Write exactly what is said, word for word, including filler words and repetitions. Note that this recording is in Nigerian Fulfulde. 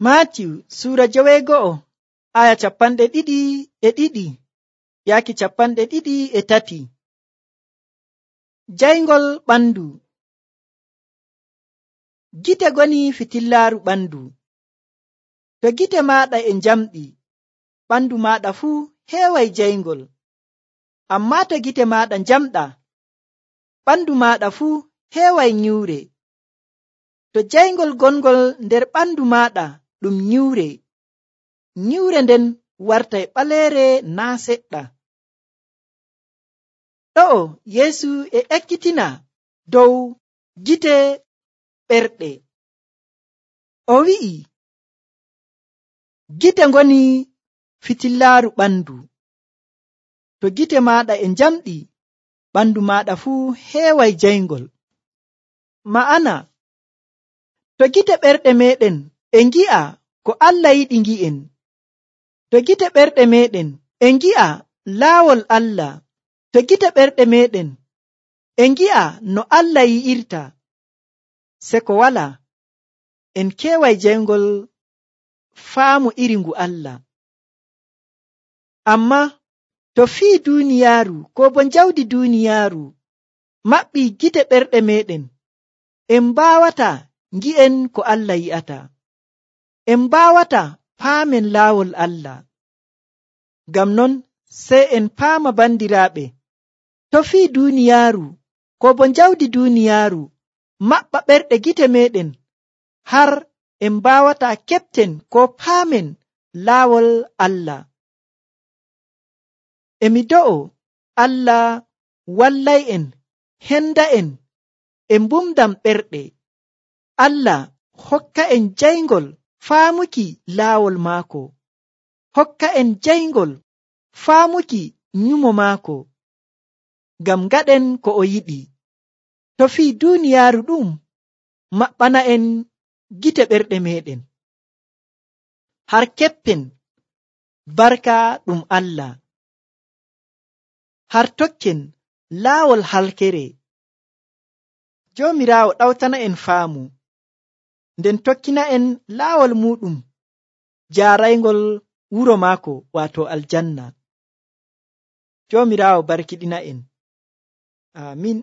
Maatiyu Suura joweego'o aya capanɗe ɗiɗi e ɗiɗi yaaki capanɗe ɗiɗi e tati. Jayngol ɓandu. Gite goni fitillaaru ɓandu. To gite maaɗa e njamɗi, ɓandu maaɗa fuu heeway jayngol. Ammaa to gite maaɗa njamɗa, ɓandu maaɗa fuu heeway nyiwre. To jayngol gongol nder ɓandu maaɗa ɗum nyiwre, nyiwre nden wartay ɓaleere naa seɗɗa. Ɗo'o Yeesu e ekkitina dow gite ɓerɗe. O wi'i, gite ngoni fitillaaru ɓandu. To gite maaɗa e njamɗi, ɓandu maaɗa fuu heeway jayngol. Ma'ana, to gite ɓerɗe meɗen e ngi'a ko Allah yiɗi ngi'en, to gite ɓerɗe meɗen e ngi'a laawol Allah, to gite ɓerɗe meɗen e ngi'a no Allah yi'irta, se ko wala en keeway jayngol faamu iri ngu Allah. Ammaa to fii duuniyaaru ko bo njawdi duuniyaaru maɓɓii gite ɓerɗe meɗen, en mbaawata ngi'en ko Allah yi'ata, en mbaawata paamen laawol Allah. Ngam non sey en paama bandiraaɓe, to fii duuniyaaru ko bo njawdi duuniyaaru maɓɓa ɓerɗe gite meɗen har en mbaawata keɓten ko paamen laawol Allah. Emi do'o Allah wallay'en, henda'en e mbumdam ɓerɗe. Allah hokka'en jayngol faamuki laawol maako, hokka'en jayngol faamuki nyumo maako, ngam ngaɗen ko o yiɗi. To fii duuniyaaru ɗum maɓɓana'en gite ɓerɗe meɗen, har keɓten barka ɗum Allah, har tokken laawol halkere. Joomiraawo ɗawtana'en faamu, nden tokkina'en laawol muɗum jaaraygol wuro maako waato aljanna. Joomiraawo barkiɗina'en. Aamin.